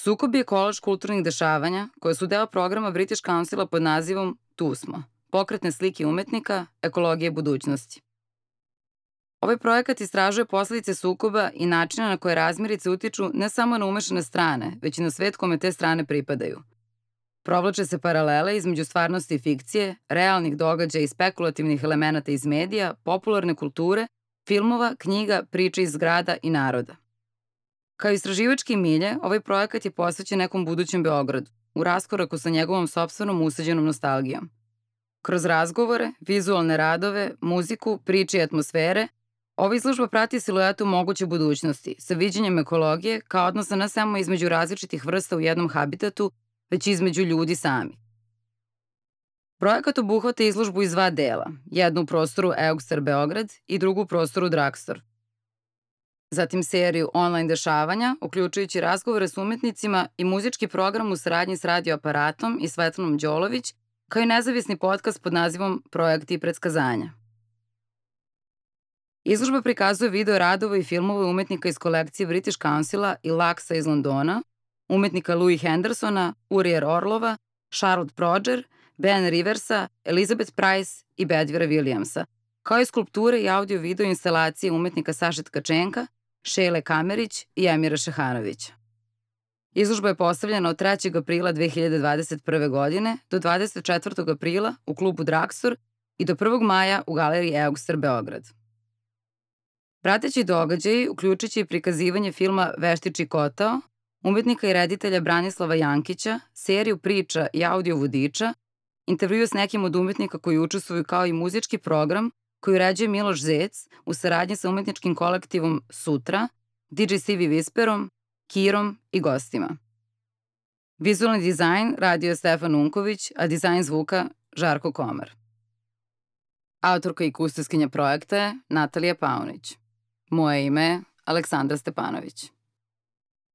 Sukob je kolaž kulturnih dešavanja koje su deo programa British Councila pod nazivom Tu smo, pokretne slike umetnika, ekologije budućnosti. Ovaj projekat istražuje posledice sukoba i načina na koje razmirice utiču ne samo na umešane strane, već i na svet kome te strane pripadaju. Provlače se paralele između stvarnosti i fikcije, realnih događaja i spekulativnih elemenata iz medija, popularne kulture, filmova, knjiga, priče iz grada i naroda. Kao istraživački milje, ovaj projekat je posvećen nekom budućem Beogradu, u raskoraku sa njegovom sopstvenom usađenom nostalgijom. Kroz razgovore, vizualne radove, muziku, priče i atmosfere, ova izložba prati siluetu moguće budućnosti, sa viđenjem ekologije kao odnosa ne samo između različitih vrsta u jednom habitatu, već i između ljudi sami. Projekat obuhvata izložbu iz dva dela, jednu u prostoru Eugster Beograd i drugu u prostoru Dragstor. Zatim seriju online dešavanja, uključujući razgovore s umetnicima i muzički program u saradnji s radioaparatom i Svetlanom Đolović, kao i nezavisni podcast pod nazivom Projekti i predskazanja. Izložba prikazuje video radova i filmove umetnika iz kolekcije British Councila i Laksa iz Londona, umetnika Louis Hendersona, Urier Orlova, Charlotte Proger, Ben Riversa, Elizabeth Price i Bedvira Williamsa, kao i skulpture i audio-video instalacije umetnika Saše Tkačenka, Šejle Kamerić i Emira Šehanovića. Izložba je postavljena od 3. aprila 2021. godine do 24. aprila u klubu Dragstor i do 1. maja u galeriji Eugster Beograd. Prateći događaji uključujući i prikazivanje filma Veštiči kotao, umetnika i reditelja Branislava Jankića, seriju priča i audio vodiča, intervju s nekim od umetnika koji učestvuju kao i muzički program koji uređuje Miloš Zec u saradnji sa umetničkim kolektivom Sutra, DJ Stevie Whisperom, Kirom i gostima. Vizualni dizajn radio je Stefan Unković, a dizajn zvuka Žarko Komar. Autorka i kustoskinja projekta je Natalija Paunić. Moje ime je Aleksandra Stepanović.